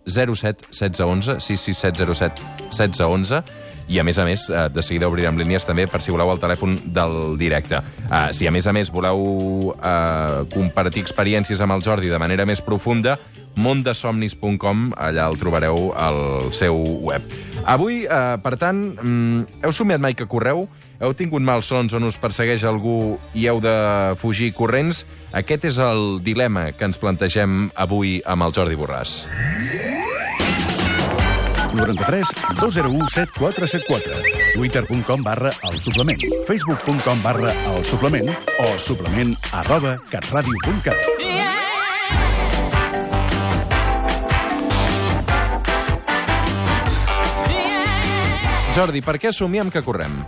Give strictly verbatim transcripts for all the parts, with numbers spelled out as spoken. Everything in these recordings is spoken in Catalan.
zero set setze onze, sis sis set zero set setze onze, i, a més a més, de seguida obrirem línies també per si voleu el telèfon del directe. Uh, si, a més a més, voleu uh, compartir experiències amb el Jordi de manera més profunda, mondesomnis punt com, allà el trobareu al seu web. Avui, uh, per tant, um, heu somiat mai que correu? Heu tingut malsons on us persegueix algú i heu de fugir corrents? Aquest és el dilema que ens plantegem avui amb el Jordi Borràs. noranta-tres dos zero u set quatre set quatre. Twitter punt com barra El Suplement. Facebook punt com barra El Suplement o suplement arroba catradio punt cat. Jordi, per què somiem que correm?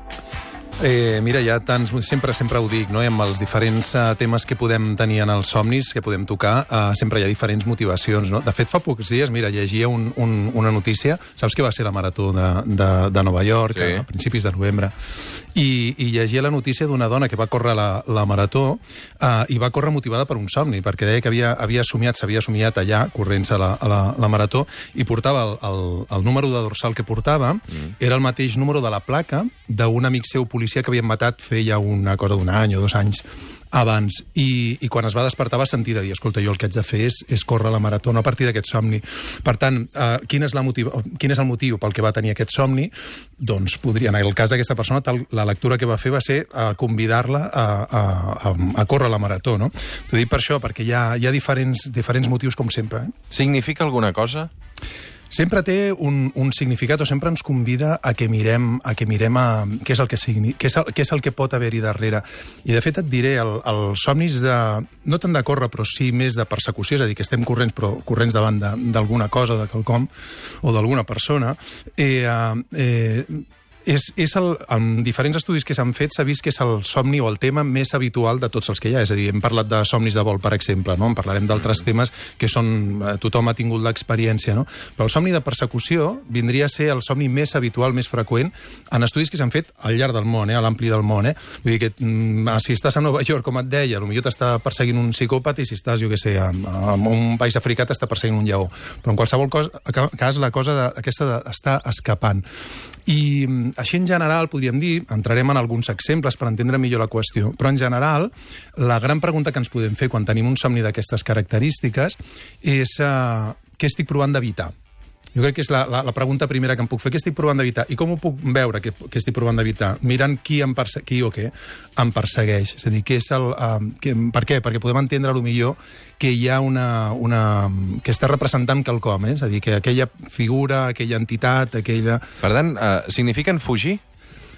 Eh, mira, hi ha tants... Sempre sempre ho dic, no? Amb els diferents uh, temes que podem tenir en els somnis, que podem tocar, uh, sempre hi ha diferents motivacions, no? De fet, fa pocs dies, mira, llegia un, un, una notícia. Saps que va ser la marató de, de, de Nova York, sí, a principis de novembre? I, i llegia la notícia d'una dona que va córrer la, la marató uh, i va córrer motivada per un somni, perquè deia que havia, havia somiat, s'havia somiat allà, corrent-se la, a la, la marató, i portava el, el, el número de dorsal que portava, mm. era el mateix número de la placa d'un amic seu policia que havien matat feia una cosa d'un any o dos anys abans, i, i quan es va despertar va sentir de dir, escolta, jo el que haig de fer és, és córrer la marató, no a partir d'aquest somni. Per tant, eh, quin, és la motiv... quin és el motiu pel que va tenir aquest somni? Doncs podria, en el cas d'aquesta persona, tal, la lectura que va fer va ser eh, convidar-la a, a, a, a córrer la marató, no? T'ho dic per això, perquè hi ha, hi ha diferents, diferents motius, com sempre. Eh? Significa alguna cosa? Sempre té un, un significat, o sempre ens convida a que mirem, a que mirem a, què, és el que signi, què, és el, què és el que pot haver-hi darrere. I, de fet, et diré, el, els somnis de... no tant de córrer, però sí més de persecució, és a dir, que estem corrents, però corrents davant d'alguna cosa, de quelcom, o d'alguna persona, eh, eh, És, és el, en diferents estudis que s'han fet s'ha vist que és el somni o el tema més habitual de tots els que hi ha. És a dir, hem parlat de somnis de vol, per exemple, no? En parlarem d'altres temes que són... Eh, tothom ha tingut l'experiència, no? Però el somni de persecució vindria a ser el somni més habitual, més freqüent, en estudis que s'han fet al llarg del món, eh? A l'ampli del món. Eh? Vull dir que mm, si estàs a Nova York, com et deia, potser t'està perseguint un psicòpat, i si estàs, jo què sé, en, en un país africà t'està perseguint un lleó. Però en qualsevol cosa, cas, la cosa de, aquesta està escapant. I així, en general, podríem dir, entrarem en alguns exemples per entendre millor la qüestió, però en general, la gran pregunta que ens podem fer quan tenim un somni d'aquestes característiques és uh, què estic provant d'evitar? Jo crec que és la, la, la pregunta primera que em puc fer. Què estic provant d'evitar? I com ho puc veure, que, que estic provant d'evitar? Mirant qui, em perse qui o què em persegueix. És a dir, què és el, uh, que, per què? Perquè podem entendre millor que hi ha una... una que està representant quelcom, eh? És a dir, que aquella figura, aquella entitat, aquella... Per tant, uh, signifiquen fugir?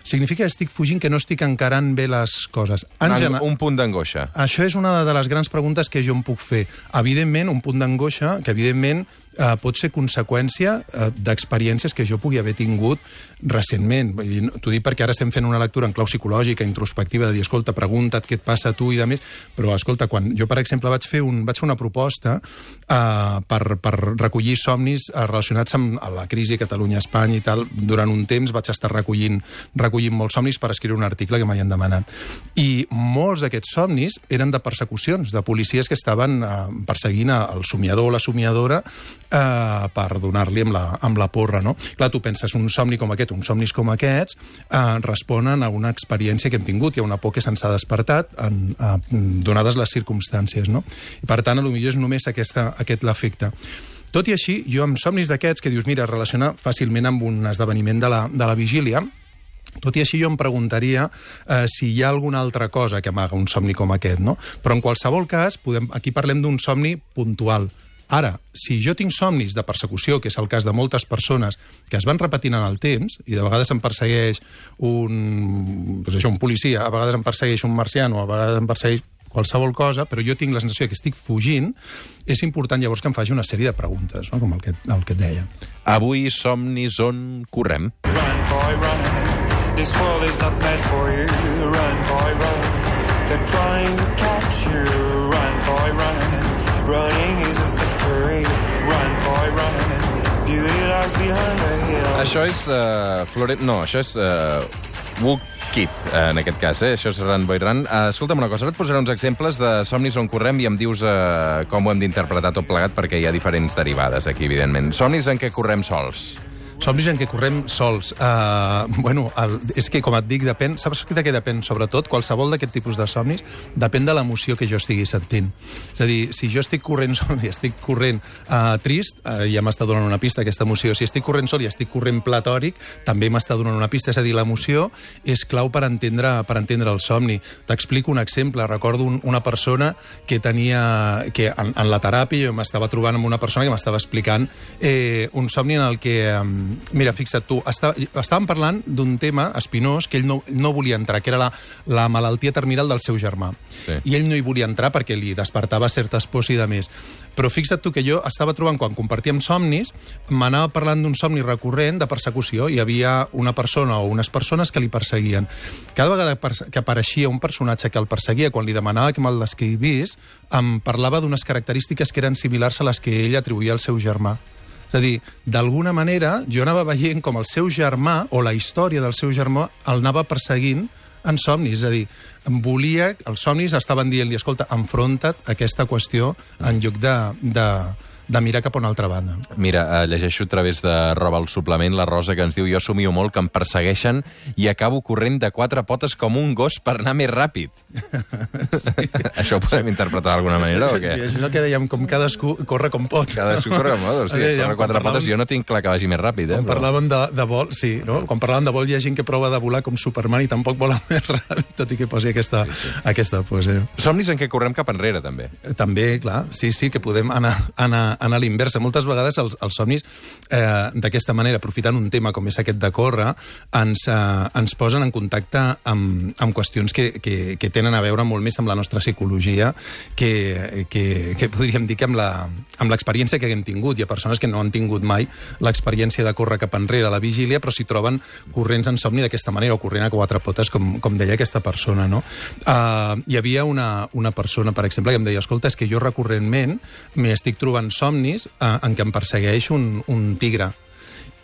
Significa que estic fugint, que no estic encarant bé les coses. En un, un punt d'angoixa. Això és una de les grans preguntes que jo em puc fer. Evidentment, un punt d'angoixa que, evidentment, eh, pot ser conseqüència eh, d'experiències que jo pugui haver tingut recentment. T'ho dic perquè ara estem fent una lectura en clau psicològica, introspectiva, de dir, escolta, pregunta't què et passa a tu i de més, però, escolta, quan jo, per exemple, vaig fer, un, vaig fer una proposta eh, per, per recollir somnis eh, relacionats amb la crisi a Catalunya, a Espanya i tal, durant un temps vaig estar recollint, recollint molts somnis per escriure un article que m'havien demanat. I molts d'aquests somnis eren de persecucions, de policies que estaven eh, perseguint el somiador o la somiadora eh, per donar-li amb, la, amb la porra, no? Clar, tu penses, un somni com aquest, uns somnis com aquests, eh, responen a una experiència que hem tingut, hi ha una por que se'ns ha despertat, en, eh, donades les circumstàncies, no? I, per tant, potser és només aquesta, aquest l'efecte. Tot i així, jo amb somnis d'aquests, que dius, mira, relaciona fàcilment amb un esdeveniment de la, de la vigília, tot i així jo em preguntaria eh, si hi ha alguna altra cosa que amaga un somni com aquest, no? Però en qualsevol cas, podem, aquí parlem d'un somni puntual. Ara, si jo tinc somnis de persecució, que és el cas de moltes persones que es van repetint en el temps, i de vegades em persegueix un, doncs això, un policia, a vegades em persegueix un marciano, a vegades em persegueix qualsevol cosa, però jo tinc la sensació que estic fugint, és important llavors que em faci una sèrie de preguntes, no? Com el que, el que et deia. Avui somnis on correm. Run, boy, run. This world is not meant for you. Run, boy, run. They're trying to catch you. Run, boy, run. Running is a victory. Run, boy, run. Beauty lies behind the hills. Això és... Uh, Flore... No, això és... Uh, Walk... Kid, en aquest cas, eh? Això és Run Boy Run. Uh, escolta'm una cosa, ara et posaré uns exemples de somnis on correm i em dius uh, com ho hem d'interpretar tot plegat, perquè hi ha diferents derivades aquí, evidentment. Somnis en què correm sols. Somnis en què correm sols. Uh, bueno, el, és que, com et dic, depèn... Saps de què depèn, sobretot? Qualsevol d'aquest tipus de somnis depèn de l'emoció que jo estigui sentint. És a dir, si jo estic corrent sol i estic corrent uh, trist, uh, ja m'està donant una pista, aquesta emoció. Si estic corrent sol i estic corrent platòric, també m'està donant una pista. És a dir, l'emoció és clau per entendre, per entendre el somni. T'explico un exemple. Recordo un, una persona que tenia... que en, en la teràpia jo m'estava trobant amb una persona que m'estava explicant eh, un somni en el que... Um, Mira, fixa't tu, està, estàvem parlant d'un tema espinós que ell no, no volia entrar, que era la, la malaltia terminal del seu germà. Sí. I ell no hi volia entrar perquè li despertava certes pors i de més. Però fixa't tu que jo estava trobant, quan compartíem somnis, m'anava parlant d'un somni recurrent de persecució. Hi havia una persona o unes persones que li perseguien. Cada vegada que apareixia un personatge que el perseguia, quan li demanava que me'l descrivís, em parlava d'unes característiques que eren similars a les que ell atribuïa al seu germà. És a dir, d'alguna manera, jo anava veient com el seu germà, o la història del seu germà, el anava perseguint en somnis. És a dir, volia... Els somnis estaven dient-li, escolta, enfronta't a aquesta qüestió en lloc de... de de mirar cap a una altra banda. Mira, uh, llegeixo a través de Roba el suplement la Rosa, que ens diu: jo somio molt que em persegueixen i acabo corrent de quatre potes com un gos per anar més ràpid. Sí. Això ho podem interpretar d'alguna manera o què? I això és el que dèiem, com cadascú corre com pot. Cadascú corre com pot, o sigui, corre quatre parlàvem... potes, jo no tinc clar que vagi més ràpid. Eh, quan però... parlàvem de, de vol, sí, no? Quan parlàvem de vol hi ha gent que prova de volar com Superman i tampoc vola més ràpid, tot i que posi aquesta, sí, sí. aquesta pose. Somnis en què correm cap enrere, també. També, clar, sí, sí, que podem anar, anar anar a l'inversa. Moltes vegades els, els somnis, eh, d'aquesta manera, aprofitant un tema com és aquest de córrer, ens, eh, ens posen en contacte amb, amb qüestions que, que, que tenen a veure molt més amb la nostra psicologia que, que, que podríem dir que amb la, amb l'experiència que haguem tingut. Hi ha persones que no han tingut mai l'experiència de córrer cap enrere a la vigília, però s'hi troben corrents en somni d'aquesta manera, o corrent a quatre potes, com, com deia aquesta persona, no? Uh, hi havia una, una persona, per exemple, que em deia: escolta, és que jo recurrentment m'hi estic trobant somnis en què em persegueix un, un tigre.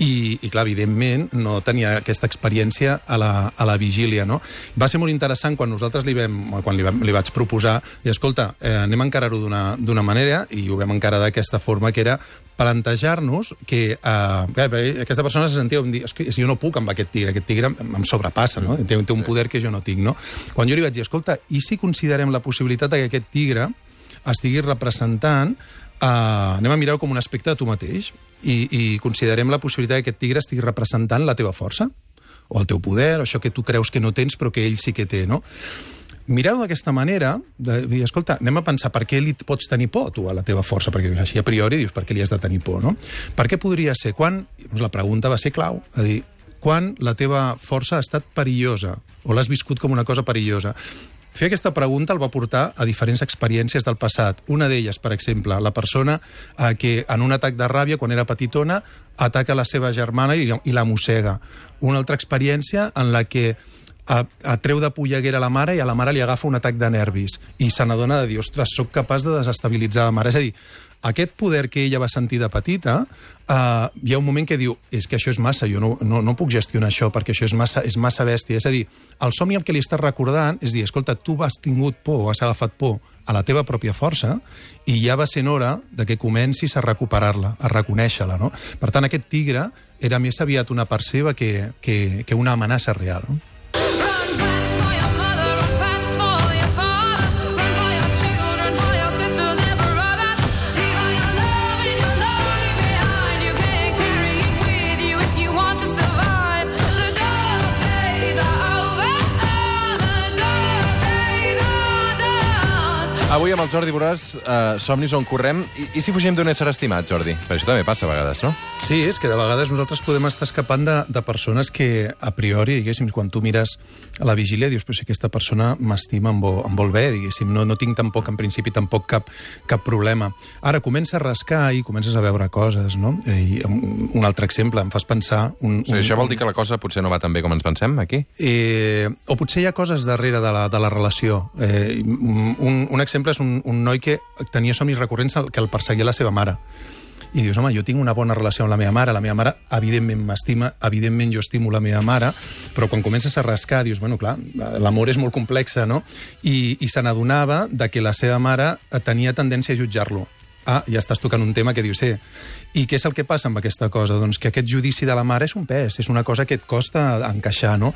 I, i clar, evidentment, no tenia aquesta experiència a la, a la vigília, no? Va ser molt interessant quan nosaltres li, vam, quan li, vam, li vaig proposar, i escolta, eh, anem a encarar-ho d'una manera, i ho vam encarar d'aquesta forma, que era plantejar-nos que eh, aquesta persona se sentia, dir, és que si jo no puc amb aquest tigre, aquest tigre em sobrepassa, no? Té, té un poder que jo no tinc, no? Quan jo li vaig dir, escolta, i si considerem la possibilitat que aquest tigre estigui representant, Uh, anem a mirar-ho com un aspecte de tu mateix i, i considerem la possibilitat que aquest tigre estigui representant la teva força o el teu poder, o això que tu creus que no tens però que ell sí que té, no? Mirar-ho d'aquesta manera, de dir, escolta, anem a pensar per què li pots tenir por tu a la teva força, perquè així a priori dius per què li has de tenir por, no? Per què podria ser? Quan? Doncs la pregunta va ser clau, a dir, quan la teva força ha estat perillosa o l'has viscut com una cosa perillosa. Fer aquesta pregunta el va portar a diferents experiències del passat. Una d'elles, per exemple, la persona eh, que en un atac de ràbia, quan era petitona, ataca la seva germana i, i la mossega. Una altra experiència en la que atreu de polleguera a la mare i a la mare li agafa un atac de nervis i se n'adona de dir, ostres, soc capaç de desestabilitzar la mare. És a dir, aquest poder que ella va sentir de petita, eh, hi ha un moment que diu, és que això és massa, jo no, no, no puc gestionar això perquè això és massa, és massa bèstia. És a dir, el somni que li estàs recordant és dir, escolta, tu has tingut por o has agafat por a la teva pròpia força i ja va sent hora de que comencis a recuperar-la, a reconèixer-la, no? Per tant, aquest tigre era més aviat una part seva que, que, que una amenaça real, no? Avui amb el Jordi Borràs, eh, somnis on correm, i, i si fugim d'un ésser estimat, Jordi? Per això també passa a vegades, no? Sí, és que de vegades nosaltres podem estar escapant de, de persones que, a priori, diguéssim, quan tu mires a la vigília, dius, però si aquesta persona m'estima, em, vol, em vol bé, diguéssim, no, no tinc tampoc, en principi, tampoc cap, cap problema. Ara, comença a rascar i comences a veure coses, no? I un altre exemple, em fas pensar... Un, sí, un, això vol dir que la cosa potser no va tan bé com ens pensem, aquí? Eh, o potser hi ha coses darrere de la, de la relació. Eh, un, un exemple és un, un noi que tenia somnis recurrents que el perseguia la seva mare. i dius, home, jo tinc una bona relació amb la meva mare, la meva mare evidentment m'estima, evidentment jo estimo la meva mare, però quan comences a rascar dius, bueno, clar, l'amor és molt complexa, no? I, i se n'adonava de que la seva mare tenia tendència a jutjar-lo. Ah, ja estàs tocant un tema que dius, eh, i què és el que passa amb aquesta cosa? Doncs que aquest judici de la mare és un pes, és una cosa que et costa encaixar, no?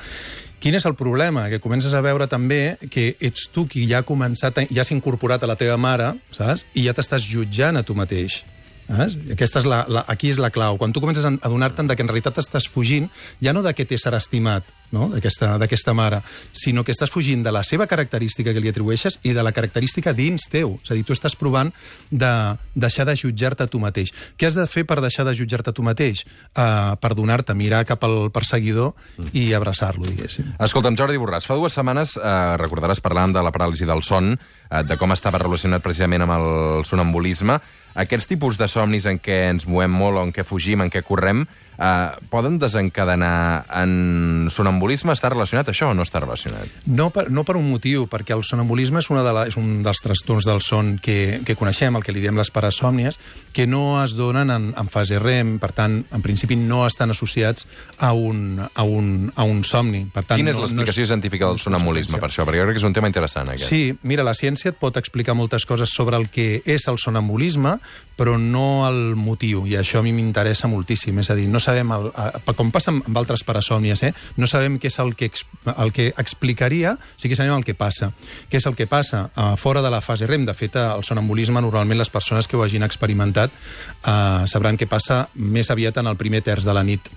Quin és el problema? Que comences a veure també que ets tu qui ja ha començat, ja s'ha incorporat a la teva mare, saps? I ja t'estàs jutjant a tu mateix. Saps? Aquesta és la, la, aquí és la clau. Quan tu comences a adonar-te'n que en realitat estàs fugint, ja no d'aquest ésser estimat, no? d'aquesta mare, sinó que estàs fugint de la seva característica que li atribueixes i de la característica dins teu. És a dir, tu estàs provant de deixar de jutjar-te a tu mateix. Què has de fer per deixar de jutjar-te a tu mateix? Uh, perdonar-te, mirar cap al perseguidor i abraçar-lo, diguéssim. Escolta'm, Jordi Borràs, fa dues setmanes, eh, recordaràs, parlant de la paràlisi del son, eh, de com estava relacionat precisament amb el sonambulisme. Aquests tipus de somnis en què ens movem molt o en què fugim, en què correm, eh, poden desencadenar en sonambulisme? Està relacionat això o no està relacionat? No per, no per un motiu, perquè el sonambulisme és, una de la, és un dels trastorns del son que, que coneixem, el que li diem les parasòmnies, que no es donen en, en fase REM, per tant, en principi no estan associats a un, a un, a un somni. Per tant, Quina és no, l'explicació no és, científica del sonambulisme, per això? Perquè jo crec que és un tema interessant, aquest. Sí, mira, la ciència et pot explicar moltes coses sobre el que és el sonambulisme, però no el motiu, i això a mi m'interessa moltíssim. És a dir, no sabem, el, com passa amb altres parasòmnies, eh? no sabem què és el que, el que explicaria, sí que sabem el que passa. Què és el que passa? Uh, fora de la fase REM, de fet, el sonambulisme, normalment les persones que ho hagin experimentat uh, sabran que passa més aviat en el primer terç de la nit.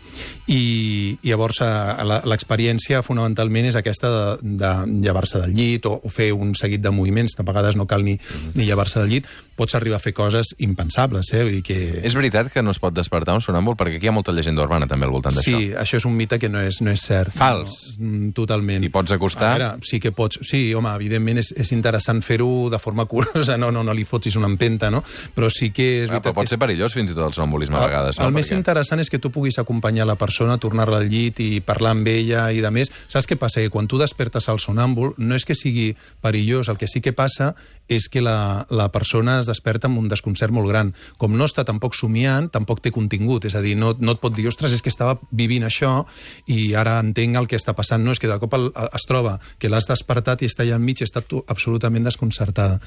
I, i llavors uh, l'experiència fonamentalment és aquesta de, de llevar-se del llit o, o fer un seguit de moviments, a vegades no cal ni, ni llevar-se del llit, pots arribar a fer coses impensables, eh? Vull dir que... És veritat que no es pot despertar un sonàmbul? Perquè aquí hi ha molta llegenda urbana també al voltant d'això. Sí, això és un mite que no és, no és cert. Fals. No, totalment. I pots acostar? A veure, sí que pots. Sí, home, evidentment és, és interessant fer-ho de forma curosa, no, no, no li fotis una empenta, no? Però sí que és ah, veritat... Però pot ser perillós fins i tot el sonambulisme a vegades, no? El més perquè... interessant és que tu puguis acompanyar la persona, tornar-la al llit i parlar amb ella i de més. Saps què passa? Que quan tu despertes al sonàmbul no és que sigui perillós, el que sí que passa és que la, la persona es desperta amb un desconcert molt gran. Com no està tampoc somiant, tampoc té contingut. És a dir, no, no et pot dir, ostres, és que estava vivint això i ara entenc el que està passant. No, és que de cop el, es troba que l'has despertat i està allà enmig i està absolutament desconcertada.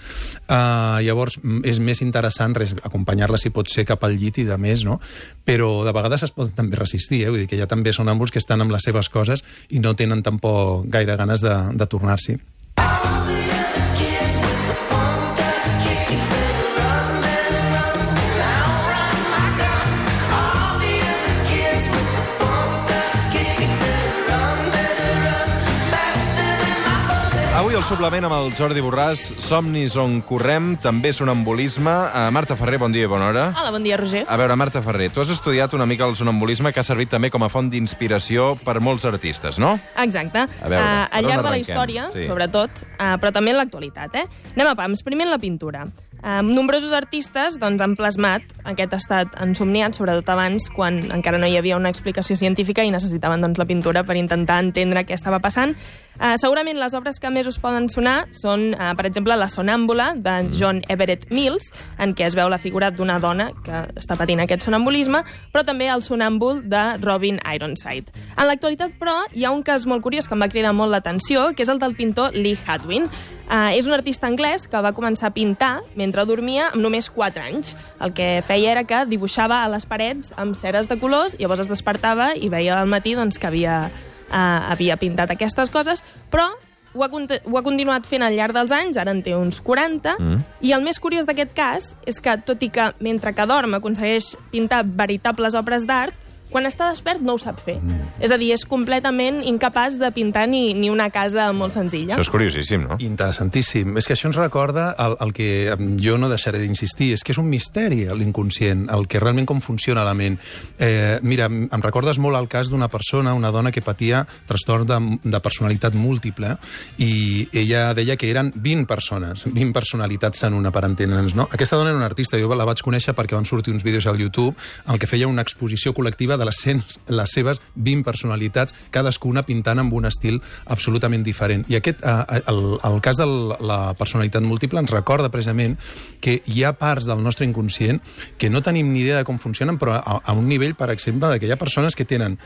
Uh, llavors, és més interessant res, acompanyar-la, si pot ser, cap al llit i de més, no? Però de vegades es poden també resistir, eh? Vull dir que hi ha també sonàmbuls que estan amb les seves coses i no tenen tampoc gaire ganes de, de tornar-s'hi. Avui el suplement amb el Jordi Borràs, somnis on correm, també sonambulisme. Uh, Marta Ferrer, bon dia i bona hora. Hola, bon dia, Roger. A veure, Marta Ferrer, tu has estudiat una mica el sonambulisme que ha servit també com a font d'inspiració per molts artistes, no? Exacte. A veure, uh, per al on llarg de la arrenquem? història, Sí. sobretot, uh, però també en l'actualitat, eh? Anem a pams. Primer en la pintura. Uh, nombrosos artistes doncs, han plasmat aquest estat ensomniat, sobretot abans, quan encara no hi havia una explicació científica i necessitaven doncs, la pintura per intentar entendre què estava passant. Uh, segurament les obres que més us poden sonar són, uh, per exemple, La sonàmbula, de John Everett Mills, en què es veu la figura d'una dona que està patint aquest sonambulisme, però també el sonàmbul de Robin Ironside. En l'actualitat, però, hi ha un cas molt curiós que em va cridar molt l'atenció, que és el del pintor Lee Hadwin. Uh, és un artista anglès que va començar a pintar mentre dormia amb només quatre anys. El que feia era que dibuixava a les parets amb ceres de colors, llavors es despertava i veia al matí doncs, que havia, uh, havia pintat aquestes coses, però ho ha, ho ha continuat fent al llarg dels anys, ara en té uns quaranta, mm. i el més curiós d'aquest cas és que, tot i que mentre que dorm aconsegueix pintar veritables obres d'art, quan està despert no ho sap fer. Mm. És a dir, és completament incapaç de pintar ni, ni una casa molt senzilla. Això és curiosíssim, no? Interessantíssim. És que això ens recorda el, el que jo no deixaré d'insistir, és que és un misteri l'inconscient, el que realment com funciona la ment. Eh, mira, em recordes molt el cas d'una persona, una dona que patia trastorn de, de personalitat múltiple, i ella deia que eren vint persones, vint personalitats en una, per entendre'ns, no? Aquesta dona era una artista, jo la vaig conèixer perquè van sortir uns vídeos al YouTube en què feia una exposició col·lectiva de les, cent, les seves vint personalitats, cadascuna pintant amb un estil absolutament diferent. I aquest, eh, el, el cas de la personalitat múltiple ens recorda precisament que hi ha parts del nostre inconscient que no tenim ni idea de com funcionen, però a, a un nivell, per exemple, de que hi ha persones que tenen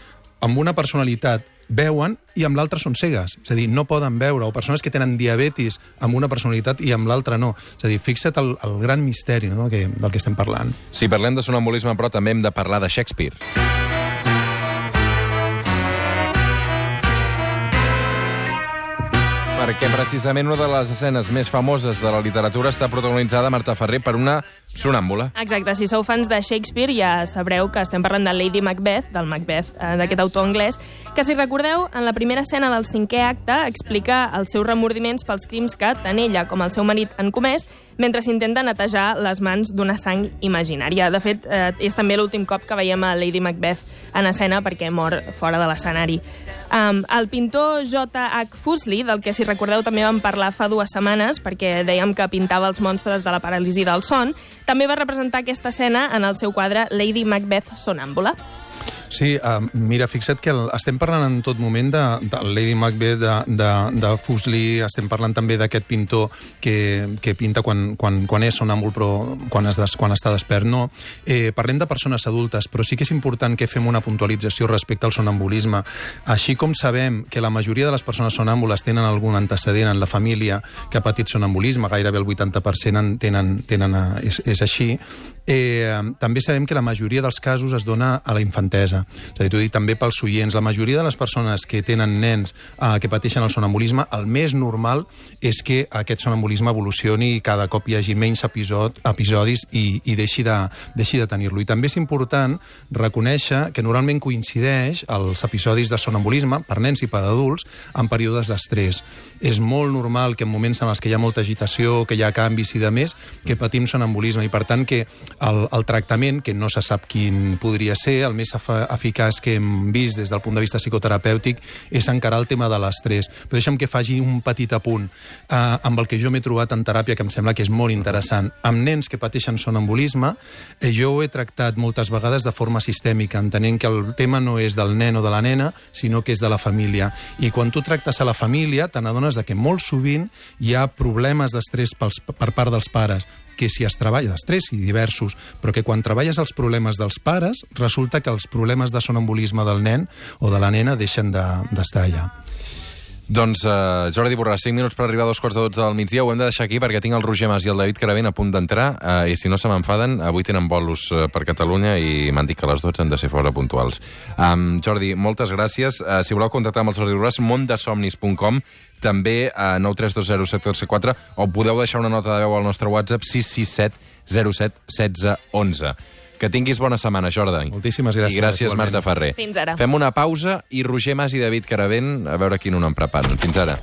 amb una personalitat veuen i amb l'altra són cegues. És a dir, no poden veure. O persones que tenen diabetis amb una personalitat i amb l'altra no. És a dir, fixa't el, el gran misteri, no?, que, del que estem parlant. Si parlem de sonambulisme, però també hem de parlar de Shakespeare. Perquè precisament una de les escenes més famoses de la literatura està protagonitzada, Marta Ferrer, per una sonàmbula. Exacte, si sou fans de Shakespeare ja sabreu que estem parlant de Lady Macbeth, del Macbeth, eh, d'aquest autor anglès, que, si recordeu, en la primera escena del cinquè acte explica els seus remordiments pels crims que tant ella com el seu marit han comès mentre s'intenta netejar les mans d'una sang imaginària. De fet, eh, és també l'últim cop que veiem a Lady Macbeth en escena perquè mor fora de l'escenari. Um, el pintor J H Fuseli, del que, si recordeu, també vam parlar fa dues setmanes, perquè dèiem que pintava els monstres de la paràlisi del son, també va representar aquesta escena en el seu quadre Lady Macbeth Sonàmbula. Sí, uh, mira, fixa't que el, estem parlant en tot moment de, de Lady Macbeth, de, de, de Fuseli, estem parlant també d'aquest pintor que, que pinta quan, quan, quan és sonàmbul, però quan, es des, quan està despert no. Eh, parlem de persones adultes, però sí que és important que fem una puntualització respecte al sonambulisme. Així com sabem que la majoria de les persones sonàmbules tenen algun antecedent en la família que ha patit sonambulisme, gairebé el vuitanta per cent en tenen, tenen, és, és així, eh, també sabem que la majoria dels casos es dona a la infantesa. És a dir, t'ho dic també pels oients, la majoria de les persones que tenen nens eh, que pateixen el sonambulisme, el més normal és que aquest sonambulisme evolucioni i cada cop hi hagi menys episod, episodis i, i deixi de, deixi de tenir-lo. I també és important reconèixer que normalment coincideix els episodis de sonambulisme per nens i per adults en períodes d'estrès. És molt normal que en moments en els que hi ha molta agitació, que hi ha canvis i de més, que patim sonambulisme, i per tant que el, el tractament, que no se sap quin podria ser, el més eficaç que hem vist des del punt de vista psicoterapèutic, és encarar el tema de l'estrès. Però deixa'm que faci un petit apunt eh, amb el que jo m'he trobat en teràpia, que em sembla que és molt interessant. Amb nens que pateixen sonambulisme, eh, jo ho he tractat moltes vegades de forma sistèmica, entenent que el tema no és del nen o de la nena, sinó que és de la família. I quan tu tractes a la família, te n'adones de que molt sovint hi ha problemes d'estrès per part dels pares, que si es treballa d'estrès i diversos, però que quan treballes els problemes dels pares, resulta que els problemes de sonambulisme del nen o de la nena deixen d'estar allà. Doncs, uh, Jordi Borràs, cinc minuts per arribar a dos quarts de dotze del migdia. Ho hem de deixar aquí perquè tinc el Roger Mas i el David Caravent a punt d'entrar, uh, i si no se m'enfaden, avui tenen bolos uh, per Catalunya i m'han dit que a les dotze han de ser fora puntuals. Um, Jordi, moltes gràcies. Uh, si voleu contactar amb el Jordi Borràs, mondesomnis punt com, també a nou tres dos zero set quatre quatre, o podeu deixar una nota de veu al nostre WhatsApp sis sis set zero set un sis un u. Que tinguis bona setmana, Jordi. Moltíssimes gràcies. I gràcies, igualment. Marta Ferrer. Fins ara. Fem una pausa i Roger Mas i David Caravent a veure quin un en preparen. Fins ara.